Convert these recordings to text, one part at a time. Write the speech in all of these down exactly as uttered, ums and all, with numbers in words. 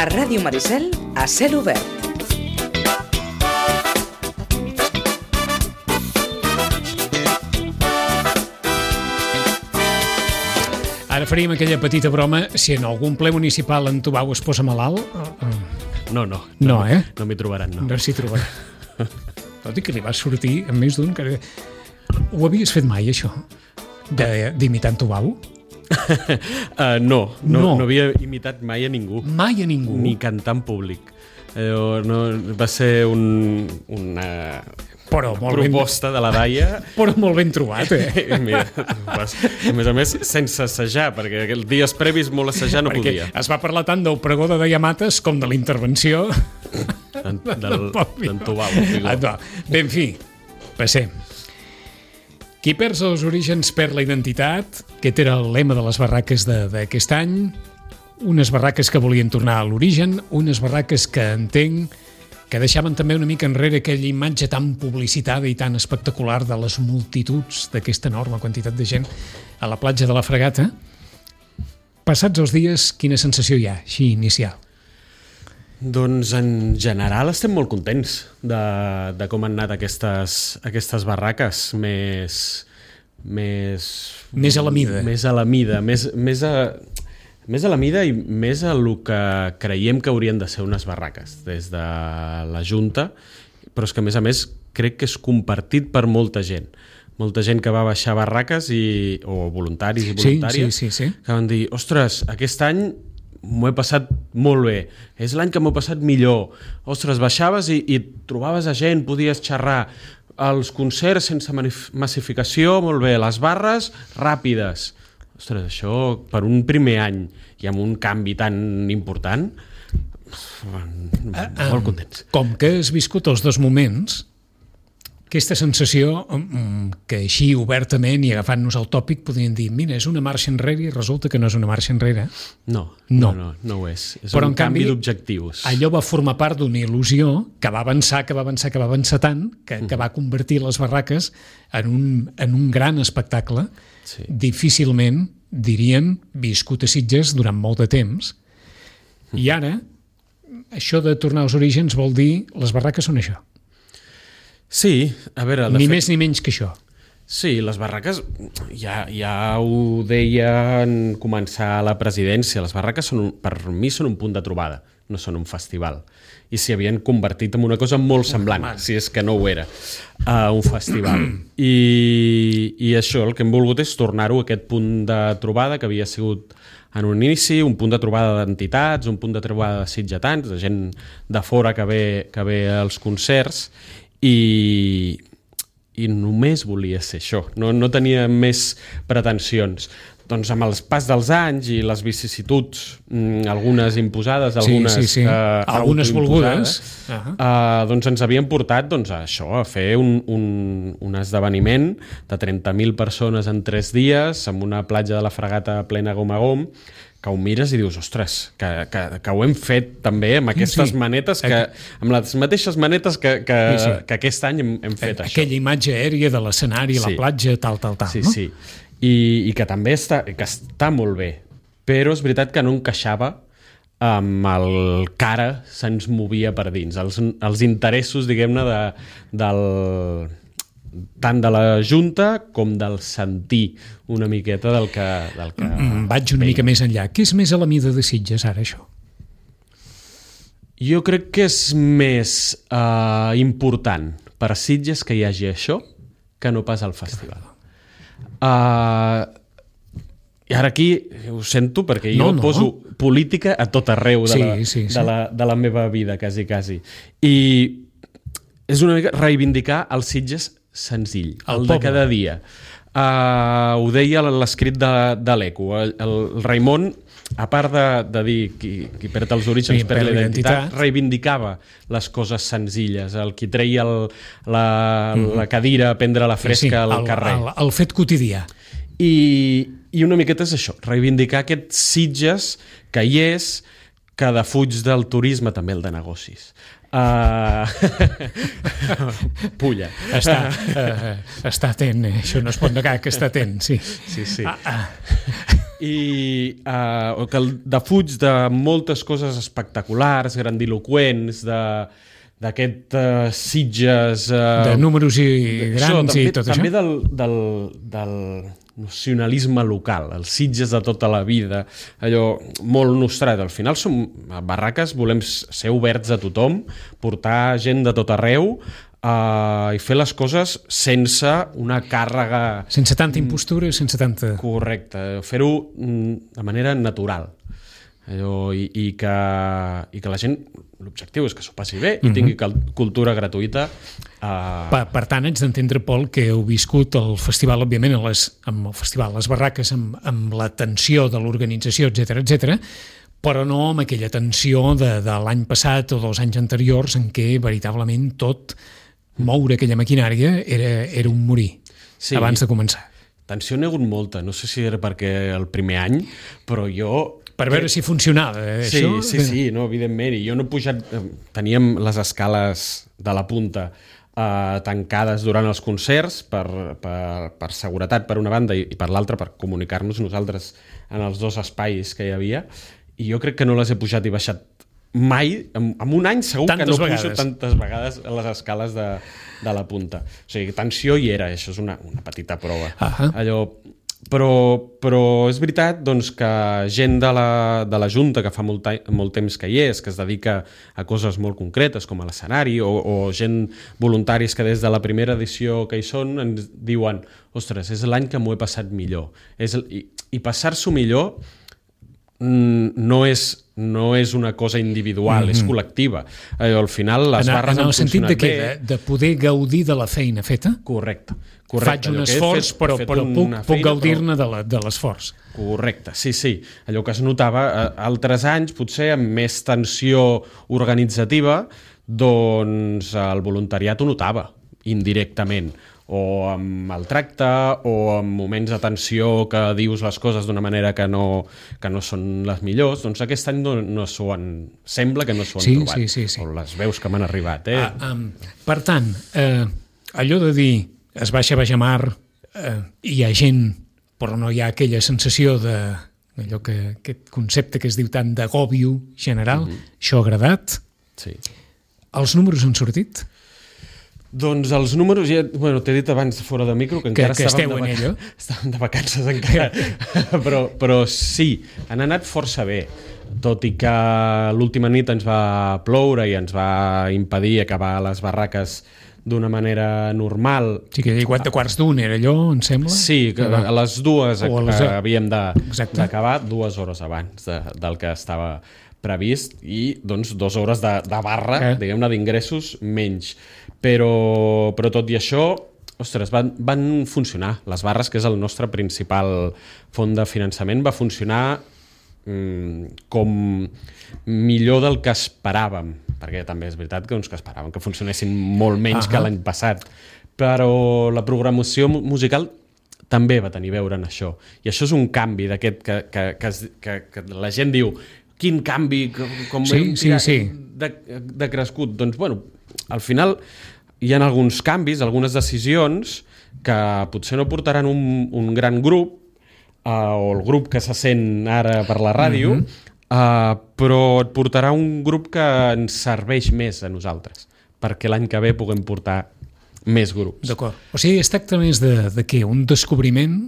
A Ràdio Maricel, a cel obert. Ara faríem aquella petita broma si en algun ple municipal en Tubau es posa malalt. No, no. No, eh? No m'hi trobaran, no. No s'hi trobaran. Tot i que li va sortir amb més d'un... Que... Ho havies fet mai, això? D'imitar en Tubau? uh, no, no, no, no havia imitat mai a ningú. Mai a ningú? Ni cantar en públic. Eh, no, va ser un, una però molt proposta ben... de la Daia. Però molt ben trobat, eh? Mira, vas, a més a més, sense assajar, perquè els dies previs molt assajar no perquè podia. Es va parlar tant del pregó de Daia Mates com de la intervenció d'en Tubau. Ah, bé, en fi, passem. Qui perd els orígens perd la identitat. Aquest era el lema de les barraques d'aquest any. Unes barraques que volien tornar a l'origen, unes barraques que entenc que deixaven també una mica enrere aquella imatge tan publicitada i tan espectacular de les multituds d'aquesta enorme quantitat de gent a la platja de la Fregata. Passats els dies, quina sensació hi ha, així inicial? Doncs en general estem molt contents de, de com han anat aquestes, aquestes barraques més, més... Més a la mida. Més a la mida, més, més, a, més a la mida i més a el que creiem que haurien de ser unes barraques des de la Junta, però és que a més a més crec que és compartit per molta gent. Molta gent que va baixar barraques i, o voluntaris i voluntàries sí, sí, sí, sí. que van dir, ostres, aquest any m'ho he passat molt bé, és l'any que m'ho he passat millor, ostres, baixaves i, i trobaves a gent, podies xerrar, els concerts sense massificació, molt bé, les barres ràpides, ostres, això per un primer any i amb un canvi tan important, molt contents. Com que has viscut els dos moments, aquesta sensació que així obertament i agafant-nos el tòpic podríem dir, mira, és una marxa enrere i resulta que no és una marxa enrere. No, no, no, no, no ho és. És però un canvi d'objectius. Allò va formar part d'una il·lusió que va avançar, que va avançar, que va avançar tant, que, mm. que va convertir les barraques en un, en un gran espectacle. Sí. Difícilment, diríem, viscut a Sitges durant molt de temps. Mm. I ara, això de tornar als orígens vol dir les barraques són això. Sí, a veure... Ni fet, més ni menys que això. Sí, les barraques, ja, ja ho deia en començar la presidència, les barraques són un, per mi són un punt de trobada, no són un festival. I s'hi havien convertit en una cosa molt semblant, oh, si és que no ho era, a un festival. I, I això, el que hem volgut és tornar-ho a aquest punt de trobada que havia sigut en un inici, un punt de trobada d'entitats, un punt de trobada de sitgetans, de gent de fora que ve, que ve als concerts, i, i només volia ser això, no, no tenia més pretensions. Doncs amb el pas dels anys i les vicissituds, algunes imposades, algunes, sí, sí, sí. Eh, algunes volgudes, uh-huh. eh, doncs ens havien portat doncs, a això, a fer un, un, un esdeveniment de trenta mil persones en tres dies, amb una platja de la Fregata plena gom a gom, que ho mires i dius, ostres, que, que, que ho hem fet també amb aquestes sí, sí. manetes, que, amb les mateixes manetes que, que, sí, sí. que aquest any hem, hem fet Aquella això. Aquella imatge aèria de l'escenari, sí. la platja, tal, tal, tal. Sí, no? sí. I, i que també està, que està molt bé, però és veritat que no encaixava amb el que ara se'ns movia per dins, els, els interessos, diguem-ne, de, del... tant de la Junta com del sentir una miqueta del que... Del que mm, vaig una veia. mica més enllà. Què és més a la mida de Sitges ara, això? Jo crec que és més uh, important per a Sitges que hi hagi això que no pas al festival. Uh, I ara aquí ho sento perquè jo no, no. poso política a tot arreu de, sí, la, sí, sí. De, la, de la meva vida, quasi, quasi. I és una mica reivindicar els Sitges senzill, el, el de cada dia. Uh, ho deia l'escrit de, de l'Eco. El, el Raimon, a part de, de dir qui, qui perd els orígens, sí, perd la identitat, reivindicava les coses senzilles, el qui treia el, la, mm. la cadira a prendre la fresca sí, sí, al el, carrer. El, el fet quotidià. I, I una miqueta és això, reivindicar aquest Sitges que hi és, que defuig del turisme, també el de negocis. Uh... Pulla. Està, uh, està atent, eh? Això no es pot negar que està atent, sí. Sí, sí. Ah, ah. i uh, que el defuig de moltes coses espectaculars, grandiloquents, de d'aquest uh, Sitges... Uh, de números i grans això, també, i tot també això? També del, del, del nacionalisme local, els Sitges de tota la vida, allò molt nostrat. Al final som a Barraques, volem ser oberts a tothom, portar gent de tot arreu uh, i fer les coses sense una càrrega... Sense tanta impostura, sense tanta... Correcte, fer-ho de manera natural. Allò, i, i, que, i que la gent, l'objectiu és que s'ho passi bé i uh-huh. tingui cultura gratuïta. Uh... Per, per tant, haig d'entendre, Pol, que heu viscut el festival, òbviament, a les, amb el festival Les Barraques, amb, amb la tensió de l'organització, etcètera, etcètera, però no amb aquella tensió de, de l'any passat o dels anys anteriors en què veritablement tot, moure aquella maquinària, era, era un morir sí. abans de començar. Tensió n'hi ha hagut molta, no sé si era perquè el primer any, però jo... Per veure si funcionava, eh, sí, això? Sí, sí, no, evidentment. I jo no he pujat... Teníem les escales de la punta eh, tancades durant els concerts per, per, per seguretat per una banda i, i per l'altra per comunicar-nos nosaltres en els dos espais que hi havia, i jo crec que no les he pujat i baixat mai, en, en un any segur tantes que no vegades. pujo tantes vegades a les escales de, de la punta. O sigui, tensió hi era, això és una, una petita prova. Uh-huh. Allò... Però, però és veritat doncs, que gent de la, de la Junta que fa molt, molt temps que hi és, que es dedica a coses molt concretes com a l'escenari, o, o gent voluntaris que des de la primera edició que hi són ens diuen, ostres, és l'any que m'ho he passat millor. És, i, i passar-s'ho millor no és, no és una cosa individual, mm-hmm. és col·lectiva. Al final les en, barres en han funcionat bé. En el sentit de què? De, de poder gaudir de la feina feta? Correcte. Correcte. Faig un esforç, fet, però, però puc, puc gaudir-ne però... de l'esforç. Correcte, sí, sí. Allò que es notava altres anys, potser amb més tensió organitzativa, doncs el voluntariat ho notava, indirectament. O amb el tracte, o amb moments de tensió que dius les coses d'una manera que no, que no són les millors, doncs aquest any no, no s'ho han... Sembla que no s'ho han sí, trobat. Sí, sí, sí. O les veus que m'han arribat. Eh? Ah, um, per tant, eh, allò de dir es baixa baix a mar, eh, hi ha gent, però no hi ha aquella sensació de allò que, aquest concepte que es diu tant d'agòbio general, mm-hmm. això ha agradat. Sí. Els números han sortit? Doncs els números, ja, bueno, t'he dit abans fora de micro que encara que, que estàvem, de vac... estàvem de vacances encara, però, però sí, han anat força bé, tot i que l'última nit ens va ploure i ens va impedir acabar les barraques d'una manera normal. Sí, que quatre quarts d'un era allò, em sembla? Sí, que a les dues a les... havíem d'acabar de... dues hores abans de, del que estava previst i doncs dues hores de, de barra, eh? diguem-ne, d'ingressos menys. Però, però tot i això, ostres, van, van funcionar. Les barres, que és el nostre principal font de finançament, va funcionar mm, com millor del que esperàvem, perquè també és veritat que, doncs, que esperàvem que funcionessin molt menys uh-huh. que l'any passat. Però la programació musical també va tenir a veure en això. I això és un canvi d'aquest que, que, que, que, que la gent diu quin canvi, com sí, hem sí, sí. De, de crescut. Doncs, bueno, al final hi ha alguns canvis, algunes decisions que potser no portaran un, un gran grup, uh, o el grup que se sent ara per la ràdio, mm-hmm. uh, però et portarà un grup que ens serveix més a nosaltres, perquè l'any que ve puguem portar més grups. D'acord. O sigui, es tracta més de, de què? Un descobriment,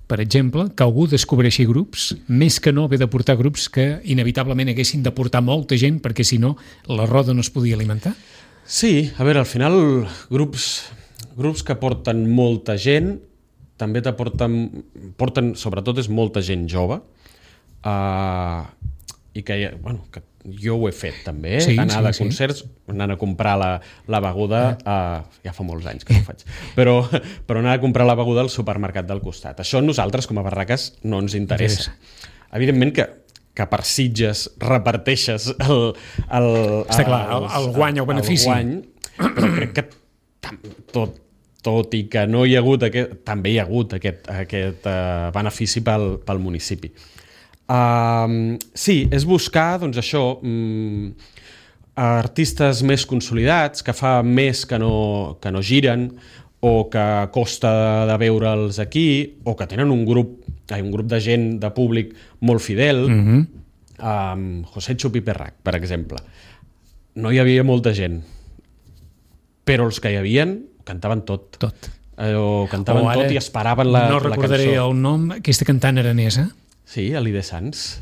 per exemple, que algú descobreixi grups, més que no haver de portar grups que inevitablement haguessin de portar molta gent, perquè si no la roda no es podia alimentar? Sí, a veure, al final grups, grups que porten molta gent també t'aporten, porten, sobretot és molta gent jove, uh, i que, bueno, que jo ho he fet també, eh? sí, anar sí, de concerts, sí. anant a comprar la, la beguda, uh, ja fa molts anys que no ho faig, però, però anar a comprar la beguda al supermercat del costat. Això a nosaltres com a barraques no ens interessa. interessa. Evidentment que que per Sitges reparteixes el, el, Està clar, el, el guany, el benefici. El guany, però crec que tot, tot i que no hi ha hagut aquest, també hi ha hagut aquest, aquest uh, benefici pel, pel municipi. Uh, sí, és buscar, doncs això, um, artistes més consolidats, que fa més que no, que no giren, o que costa de veure'ls aquí, o que tenen un grup hi ha un grup de gent, de públic molt fidel, Mhm. amb José Chupi Perrac, per exemple. No hi havia molta gent, però els que hi havien cantaven tot. Tot. Allò, cantaven O ara tot i esperaven la, no la recordaré cançó. el nom, aquesta cantant aranesa, Sí, Alide Sans.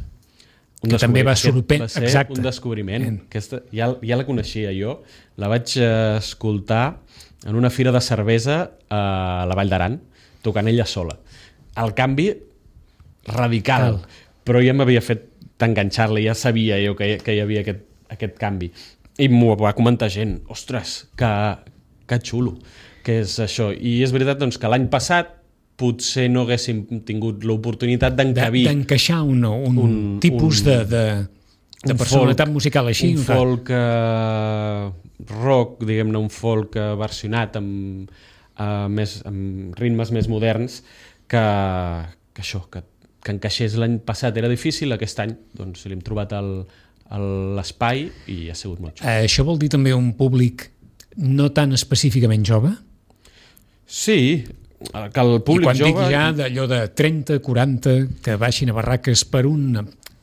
Un que també va descobri- sorprendre. Va ser Exacte. un descobriment. En. Aquesta, ja, ja la coneixia jo. La vaig eh, escoltar en una fira de cervesa a la Vall d'Aran, tocant ella sola. El canvi radical, Cal. però ja m'havia fet enganxar-la, ja sabia jo que, que hi havia aquest, aquest canvi. I m'ho va comentar gent. Ostres, que, que xulo, que és això. I és veritat doncs, que l'any passat potser no haguéssim tingut l'oportunitat de- d'encabir d'encaixar un, un, Un- tipus un- de, de, de un personalitat folk- musical així. un clar. folk eh, rock, diguem-ne, un folk eh, versionat amb, eh, més, amb ritmes més moderns que, que això, que, que encaixés l'any passat era difícil, aquest any doncs li hem trobat el- el- l'espai i ha sigut molt xulo. Eh, això vol dir també un públic no tan específicament jove? Sí, que el I públic quan jove... dic ja d'allò de trenta, quaranta, que baixin a barraques per un,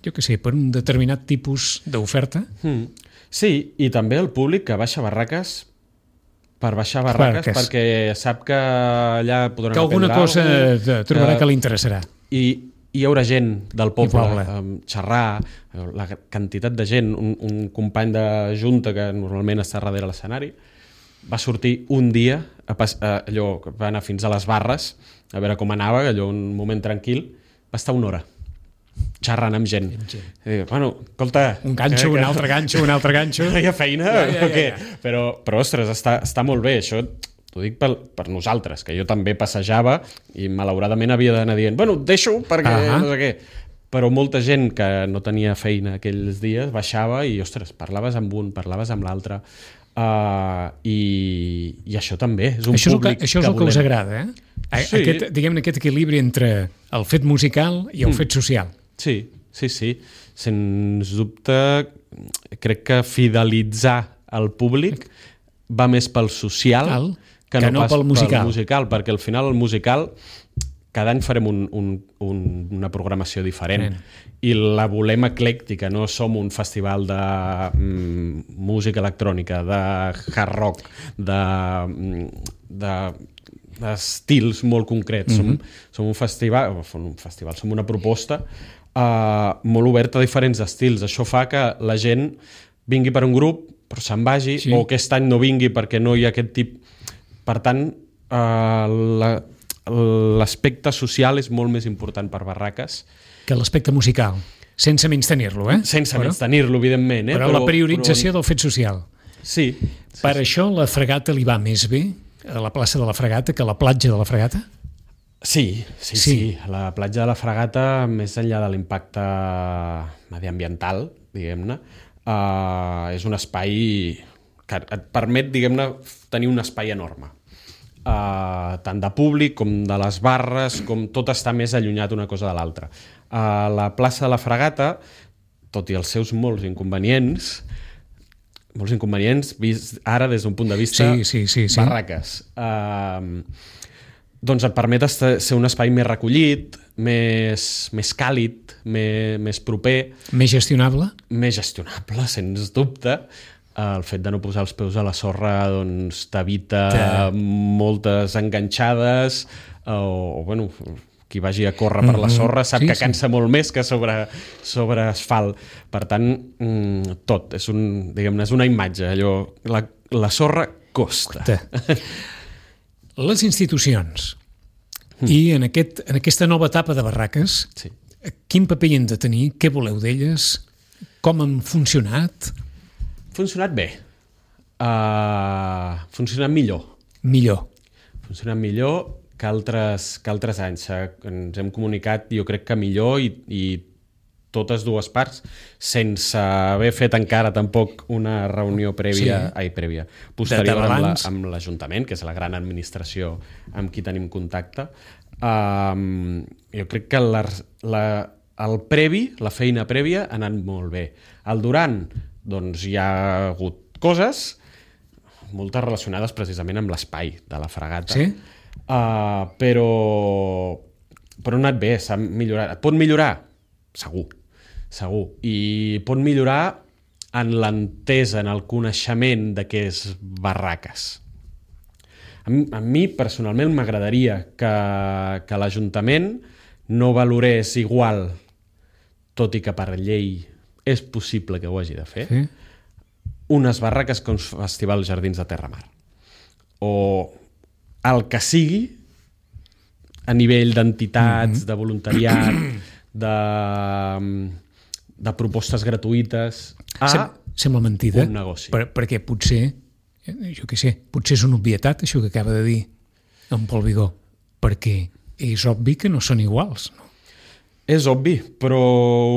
jo què sé, per un determinat tipus d'oferta, Mm. Sí, i també el públic que baixa barraques per baixar barraques Barraques. perquè sap que allà podran que alguna aprendre cosa alguna de- trobarà que li interessarà. I hi haurà gent del poble, poble. um, xerrar, la quantitat de gent, un, un company de junta que normalment està darrere l'escenari, va sortir un dia, a pas, a, allò, va anar fins a les barres, a veure com anava, allò, un moment tranquil, va estar una hora xerrant amb gent. Amb gent. I, bueno, escolta... Un ganxo, que- un que- altre ganxo, un altre ganxo. no hi ha feina Ja, ja, o què? ja, ja. Però, però, ostres, està, està molt bé. Això t'ho dic per, per nosaltres, que jo també passejava i malauradament havia d'anar dient bueno, et deixo perquè Ahà. no sé què. Però molta gent que no tenia feina aquells dies baixava i, ostres, parlaves amb un, parlaves amb l'altre. Uh, i, I això també és un Això és el que, públic això és el que us volem. agrada, eh? A- Sí. Aquest, diguem-ne, aquest equilibri entre el fet musical i el Mm. fet social. Sí, sí, sí. Sens dubte, crec que fidelitzar el públic va més pel social Cal, que, que no pas pel musical. pel musical, perquè al final el musical cada any farem un, un, un, una programació diferent Diferent. i la volem eclèctica, no som un festival de mm, música electrònica, de hard rock, de, mm, de d'estils molt concrets. Mm -hmm. som, som un festival, o un festival, som una proposta uh, molt oberta a diferents estils. Això fa que la gent vingui per un grup, però se'n vagi, Sí. o aquest any no vingui perquè no hi ha aquest tip. Per tant, uh, la, l'aspecte social és molt més important per Barraques, Que l'aspecte musical, sense menys tenir-lo, eh? sense però, menys tenir-lo, evidentment. Eh? però, la priorització però... del fet social. Sí. Per això la fregata li va més bé a la plaça de la Fregata que a la platja de la Fregata? Sí, sí, sí, Sí. sí. La platja de la Fregata, més enllà de l'impacte mediambiental, diguem-ne, uh, és un espai que et permet, diguem-ne, tenir un espai enorme. Uh, tant de públic com de les barres, com tot està més allunyat una cosa de l'altra. Uh, la plaça de la Fregata, tot i els seus molts inconvenients, molts inconvenients vist ara des d'un punt de vista Sí, sí, sí, sí. Barraques. Uh, doncs et permet estar, ser un espai més recollit, més, més càlid, més, més proper, Més gestionable? més gestionable, sens dubte. Uh, el fet de no posar els peus a la sorra doncs t'evita Que- moltes enganxades uh, o, o, bueno, qui vagi a córrer per la sorra sap Sí, que sí. cansa molt més que sobre, sobre asfalt. Per tant, mm, tot, és, un, diguem-ne, és una imatge. Allò, la, la sorra costa. Te. Les institucions i en, aquest, en aquesta nova etapa de Barraques, Sí. quin paper hi han de tenir? Què voleu d'elles? Com han funcionat? Funcionat bé. Uh, funcionat millor. Millor. Funcionat millor que altres, que altres anys. Eh, Ens hem comunicat, jo crec que millor i, i totes dues parts, sense haver fet encara tampoc una reunió prèvia, Sí. ai, prèvia, posterior De- de amb la- balanç. amb l'Ajuntament, que és la gran administració amb qui tenim contacte. Um, jo crec que la, la, el previ, la feina prèvia, ha anat molt bé. El durant, doncs hi ha hagut coses, moltes relacionades precisament amb l'espai de la Fregata. Sí? Uh, però però ha anat bé, s'ha millorat. Et pot millorar? Segur, segur. I pot millorar en l'entesa, en el coneixement de què és barraques. A mi, a mi personalment m'agradaria que, que l'Ajuntament no valorés igual, tot i que per llei és possible que ho hagi de fer, Sí. unes barraques que un festival Jardins de Terramar. O el que sigui, a nivell d'entitats, mm-hmm. de voluntariat, de, de propostes gratuïtes, a Sem Sembla mentida, un negoci. per, perquè potser, jo què sé, potser és una obvietat això que acaba de dir en Pol Vigó, perquè és obvi que no són iguals, no? És obvi, però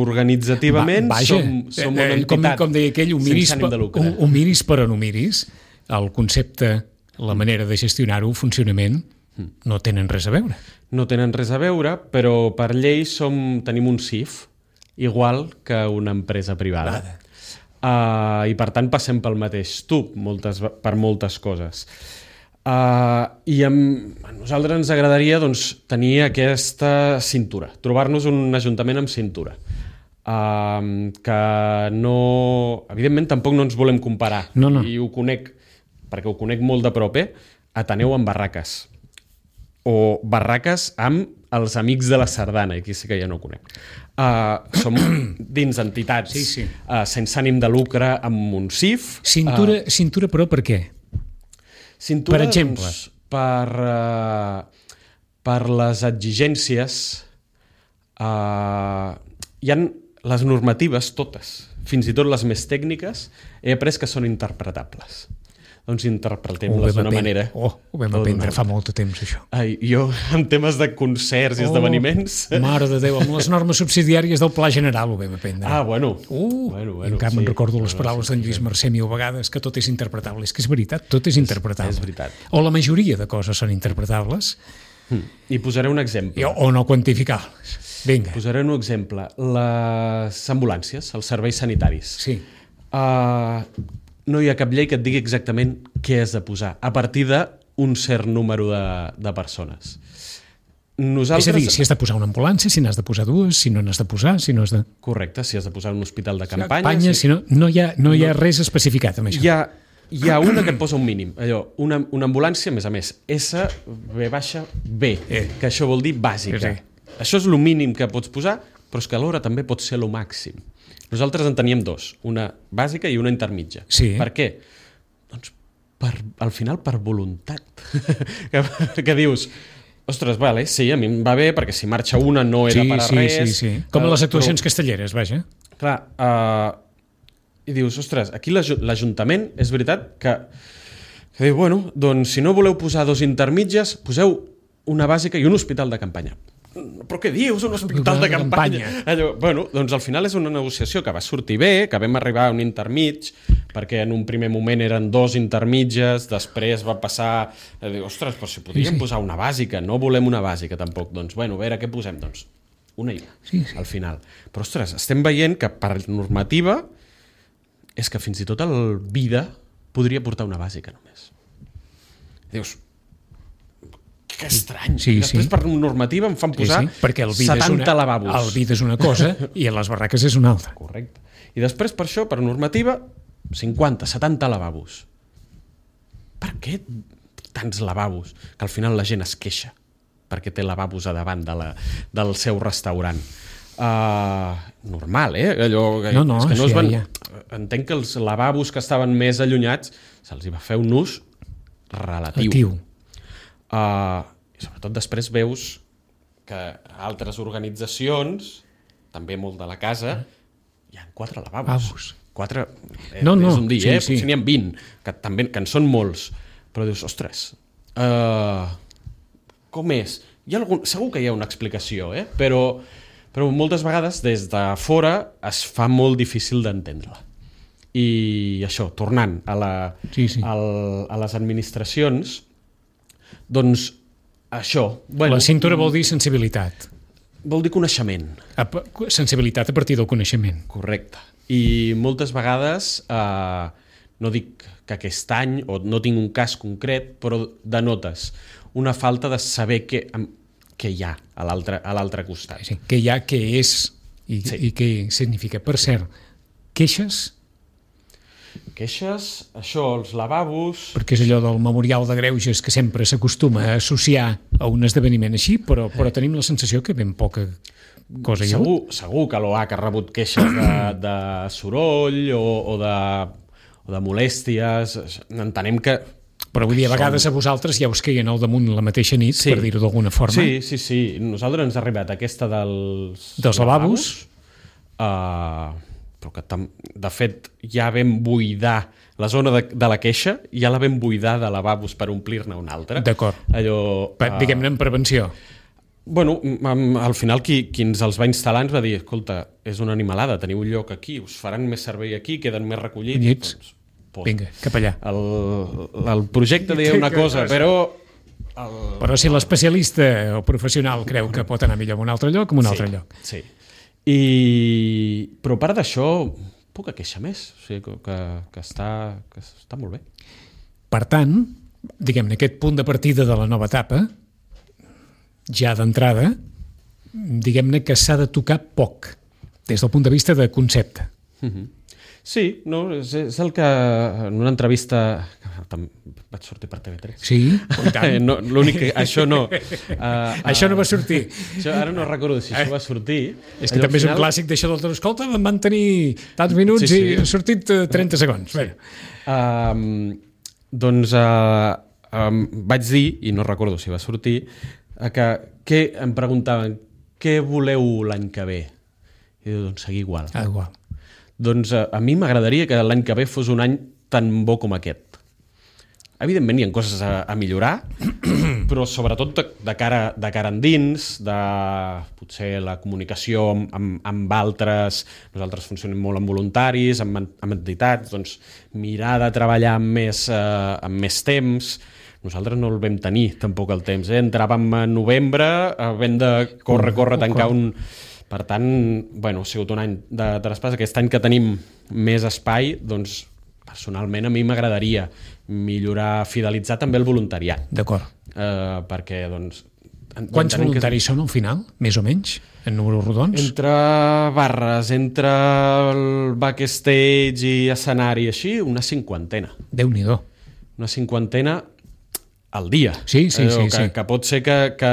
organitzativament Va, vaja, som, som una eh, entitat com, com deia aquell, ho miris, sense ànim de lucre. ho, ho miris però no miris, el concepte, la manera de gestionar-ho, el funcionament, no tenen res a veure. No tenen res a veure, però per llei som, tenim un C I F igual que una empresa privada. Uh, I per tant passem pel mateix tub moltes, per moltes coses. Uh, I amb, a nosaltres ens agradaria doncs, tenir aquesta cintura, trobar-nos un ajuntament amb cintura. Uh, que no... Evidentment tampoc no ens volem comparar, no, no. i ho conec, perquè ho conec molt de prop, eh? Ateneu amb barraques, o barraques amb els amics de la Sardana, aquí sí que ja no ho conec. Uh, som dins entitats sí, sí. Uh, sense ànim de lucre, amb un C I F. Cintura, uh, cintura però per què? Cintura, per exemple? Doncs, per, uh, per les exigències, uh, hi ha les normatives, totes, fins i tot les més tècniques, he après que són interpretables. Doncs interpretem-les d'una manera. Oh, ho vam aprendre fa molt de temps, això. Ai, jo, en temes de concerts i oh, esdeveniments... Mare de Déu, amb les normes subsidiàries del Pla General ho vam aprendre. Ah, bueno. Uh, bueno, bueno encara sí. me'n recordo les paraules sí, d'en Lluís sí. Mercè mil vegades, que tot és interpretable. És que és veritat, tot és interpretable. És, és veritat. O la majoria de coses són interpretables. Mm. I posaré un exemple. I, o no quantificables. Vinga. Posaré un exemple. Les ambulàncies, els serveis sanitaris. Sí. Uh, no hi ha cap llei que et digui exactament què has de posar, a partir d'un cert número de, de persones. Nosaltres... És a dir, si has de posar una ambulància, si n'has de posar dues, si no n'has de posar, si no has de... Correcte, si has de posar un hospital de campanya... campanya si... si no, no, hi ha, no hi ha res especificat amb això. Hi ha, hi ha una que et posa un mínim. Allò, una, una ambulància, a més a més, S, B baixa, B, eh. que això vol dir bàsica. Sí. Això és el mínim que pots posar, però és que alhora també pot ser el màxim. Nosaltres en teníem dos, una bàsica i una intermitja. Sí. Per què? Doncs per, al final per voluntat. que, que dius, ostres, vale, sí, a mi em va bé perquè si marxa una no era sí, per a sí, res. Sí, sí. Com a les actuacions però, castelleres, vaja. Clar, uh, i dius, ostres, aquí l'Ajuntament és veritat que, que diu, bueno, doncs si no voleu posar dos intermitges, poseu una bàsica i un hospital de campanya. Però què dius, un hospital de campanya? Allò, bueno, doncs al final és una negociació que va sortir bé, que vam arribar a un intermig, perquè en un primer moment eren dos intermitges, després va passar a dir, ostres, però si podríem sí, sí. posar una bàsica, no volem una bàsica tampoc, doncs bueno, a veure què posem, doncs una i una, sí, sí. al final. Però ostres, estem veient que per normativa és que fins i tot el vida podria portar una bàsica només. Dius, que estrany. Sí, Després sí. per normativa em fan posar sí, sí. Perquè el vida setanta és una, lavabos. El vida és una cosa i a les barraques és una altra. Correcte. I després per això, per normativa, cinquanta, setanta lavabos. Per què tants lavabos? Que al final la gent es queixa perquè té lavabos a davant de la, del seu restaurant. Uh, normal, eh? Allò, no, no, és que no sí, es van... ja. Entenc que els lavabos que estaven més allunyats se'ls va fer un ús relatiu. Relatiu. Uh, i sobretot després veus que altres organitzacions, també molt de la casa, hi ha quatre lavabos. Lavabos. Quatre, eh, no, no, és un dia, sí, eh? sí. Potser n'hi ha vint, que, també, que en són molts. Però dius, ostres, uh, com és? Hi ha algun... Segur que hi ha una explicació, eh? però, però moltes vegades des de fora es fa molt difícil d'entendre-la. I això, tornant a, la, sí, sí. al, a les administracions, doncs això... Bueno, la cintura vol dir sensibilitat. Vol dir coneixement. A, sensibilitat a partir del coneixement. Correcte. I moltes vegades, eh, no dic que aquest any, o no tinc un cas concret, però denotes una falta de saber què, què hi ha a l'altre a l'altre costat. Sí, què hi ha, què és i, Sí. i què significa. Per cert, queixes, Queixes, això, els lavabos... perquè és allò del memorial de greuges que sempre s'acostuma a associar a un esdeveniment així, però, però tenim la sensació que ben poca cosa hi ha. Segur, segur que l'O H ha rebut queixes de, de soroll o, o, de, o de molèsties. Entenem que... Però vull dir, a Som- vegades a vosaltres ja us queien al damunt la mateixa nit, Sí. per dir-ho d'alguna forma. Sí, sí, sí. Nosaltres ens ha arribat aquesta dels... Dels lavabos. Uh, però que tam... de fet ja vam buidar la zona de, de la queixa, ja la vam buidar de lavabos per omplir-ne una altra. D'acord. Allò... Pa- uh, Diguem-ne en prevenció. Bueno, am- al final qui, qui ens els va instal·lar ens va dir, escolta, és una animalada, teniu un lloc aquí, us faran més servei aquí, queden més recollits. Collits. Doncs, posa. Vinga, cap allà. El, el projecte deia una cosa, però... El, Però si l'especialista o professional creu que pot anar millor en un altre lloc, en un altre sí, lloc. Sí. I... Però a part d'això, poca queixa més. O sigui, que, que, que, està, que està molt bé. Per tant, diguem-ne, aquest punt de partida de la nova etapa, ja d'entrada, diguem-ne que s'ha de tocar poc, des del punt de vista de concepte. Sí, no, és, és el que en una entrevista... Tam- Vaig sortir per T V tres. Sí, i tant. no, l'únic que... Això no. Uh, Això no va sortir. Això, ara no recordo si això va sortir. És que Allò, també al és un final- clàssic d'això del escolta, em van tenir tants minuts Sí, sí. i ha sortit eh, trenta segons. Sí. Um, doncs uh, um, vaig dir, i no recordo si va sortir, uh, que, que em preguntaven què voleu l'any que ve? I diu, doncs seguir igual. Ah, igual. Doncs uh, a mi m'agradaria que l'any que ve fos un any tan bo com aquest. Evidentment hi ha coses a, a millorar, però sobretot de, de, cara, de cara endins, de potser la comunicació amb, amb, amb altres, nosaltres funcionem molt amb voluntaris, amb, en- amb entitats, doncs mirar de treballar amb més, eh, amb més temps. Nosaltres no el vam tenir tampoc el temps, eh? Entràvem a novembre, havent de córrer, córrer, tancar un... Per tant, bueno, ha sigut un any de traspàs. Aquest any que tenim més espai, doncs, personalment a mi m'agradaria millorar, fidelitzar també el voluntariat. D'acord. Eh, perquè, doncs... en- Quants entenem que voluntaris són al final, més o menys, en números rodons? Entre barres, entre el backstage i escenari, així, una cinquantena. Déu-n'hi-do. Una cinquantena al dia. Sí, sí, Allò sí, que, sí. que pot ser que, que,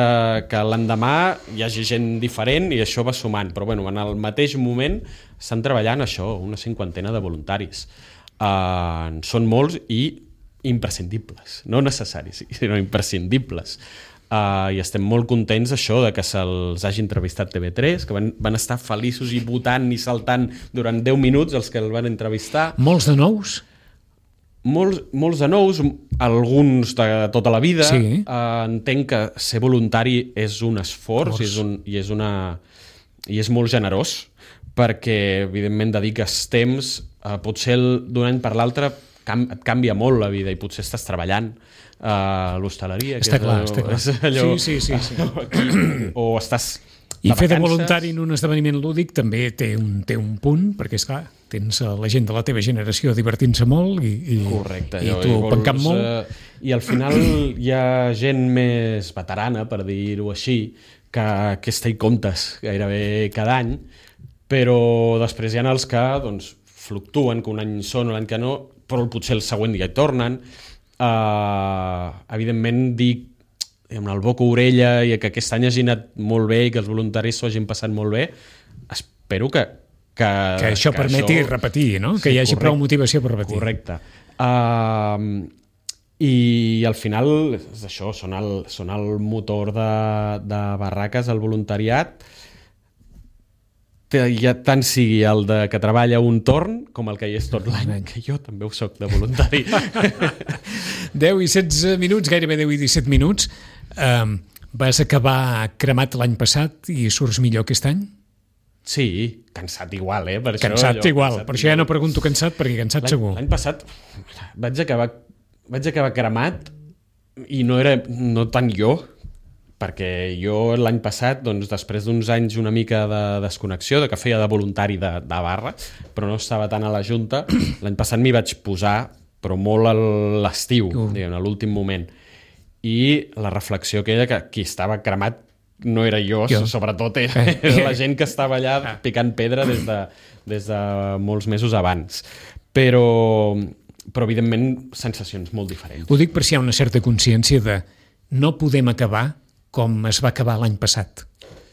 que l'endemà hi hagi gent diferent i això va sumant, però bueno, en el mateix moment estan treballant això, una cinquantena de voluntaris. Uh, són molts i imprescindibles, no necessaris, sinó imprescindibles. Uh, I estem molt contents això de que se'ls hagi entrevistat T V tres, que van, van estar feliços i votant i saltant durant deu minuts els que el van entrevistar. Molts de nous? Molts, molts de nous, alguns de tota la vida. Sí. Uh, entenc que ser voluntari és un esforç i és, un, i, és una, i és molt generós, perquè evidentment dediques temps, uh, potser d'un any per l'altre cam, et canvia molt la vida i potser estàs treballant uh, a l'hostaleria. que Està és clar, allò- està clar. és allò- Sí, sí, sí, sí. Aquí, o estàs I fer de vacances. voluntari en un esdeveniment lúdic també té un, té un punt, perquè, esclar, tens a la gent de la teva generació divertint-se molt i, i, Correcte, i allò, tu vols, pencant molt. eh, I al final hi ha gent més veterana, per dir-ho així, que, que està i comptes gairebé cada any, però després hi ha els que doncs, fluctuen, que un any són, l'any que no, però potser el següent ja hi tornen. Uh, evidentment, dic amb el boca orella i que aquest any hagi anat molt bé i que els voluntaris s'ho hagin passat molt bé, espero que que, Que això que permeti això... repetir, no? Que Sí, hi hagi correcte. prou motivació per repetir. Correcte. Uh, I al final és això, són el, són el motor de, de barraques, el voluntariat, ja tant sigui el de que treballa un torn com el que hi és tot l'any, que jo també ho soc de voluntari. deu i setze minuts, gairebé deu i disset minuts. Um, vas acabar cremat l'any passat i surts millor aquest any? Sí, cansat igual, eh? Per Cansat això, allò, igual, cansat per això ja no pregunto cansat, perquè cansat L'any- segur. L'any passat vaig acabar, vaig acabar cremat i no era no tant jo, perquè jo l'any passat, doncs, després d'uns anys una mica de desconnexió, de que feia de voluntari de, de barra, però no estava tant a la Junta, l'any passat m'hi vaig posar, però molt a l'estiu, Uh. diguem, a l'últim moment. I la reflexió aquella que qui estava cremat no era jo, jo. sobretot era, era la gent que estava allà picant pedra des de, des de molts mesos abans. Però, però evidentment, sensacions molt diferents. Ho dic per si hi ha una certa consciència de no podem acabar com es va acabar l'any passat.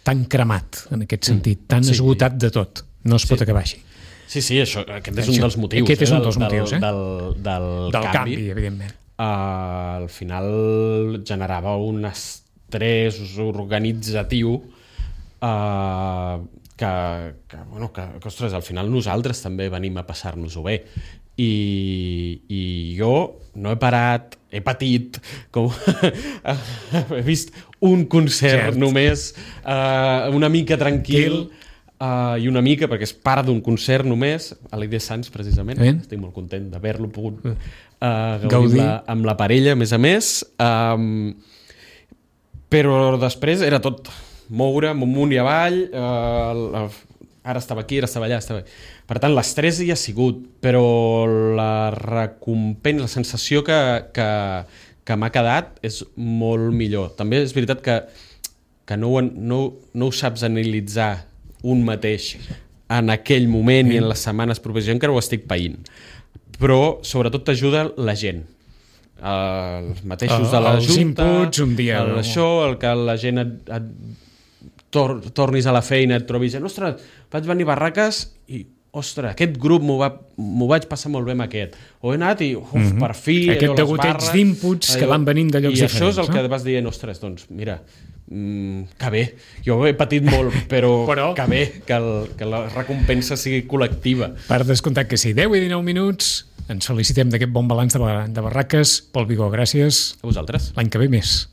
Tan cremat, en aquest sentit, tan sí. esgotat de tot. No es pot sí. acabar així. Sí, sí, això, aquest és un dels motius. Aquest és un eh, dels motius, eh? Del, del, del, del canvi, canvi evidentment. Uh, al final generava un estrès organitzatiu uh, que, que, bueno, que, que, ostres, al final nosaltres també venim a passar-nos-ho bé. I, i jo no he parat, he patit, com he vist un concert Cert. només, uh, una mica tranquil, uh, i una mica, perquè és part d'un concert només, a l'I D Sants, precisament. Ben. Estic molt content d'haver-lo pogut uh, gaudir amb la, amb la parella, a més a més. Um, però després era tot moure amunt i avall, uh, ara estava aquí, ara estava allà, estava... Per tant, l'estrès hi ha sigut, però la recompensa, la sensació que, que, que m'ha quedat és molt millor. També és veritat que, que no, ho, no, no ho saps analitzar un mateix en aquell moment mm. i en les setmanes properes. Jo encara ho estic païnt. Però, sobretot, t'ajuda la gent. Els mateixos uh, de la els Junta, inputs, un dia... el, això, el que la gent et, et tor, tornis a la feina, et trobis... Ostres, vaig venir a Barraques i... ostres, aquest grup m'ho va, m'ho vaig passar molt bé amb aquest. O he anat i, uf, mm-hmm. per fi... Aquest degoteig d'inputs que van venint de llocs i diferents. I això és el no? que vas dient, ostres, doncs mira, mm, que bé. Jo he patit molt, però, però... que bé, que, el, que la recompensa sigui col·lectiva. Per descomptat que sí. deu i dinou minuts, ens felicitem d'aquest bon balanç de, de Barraques. Pol Vigó, gràcies. A vosaltres. L'any que ve més.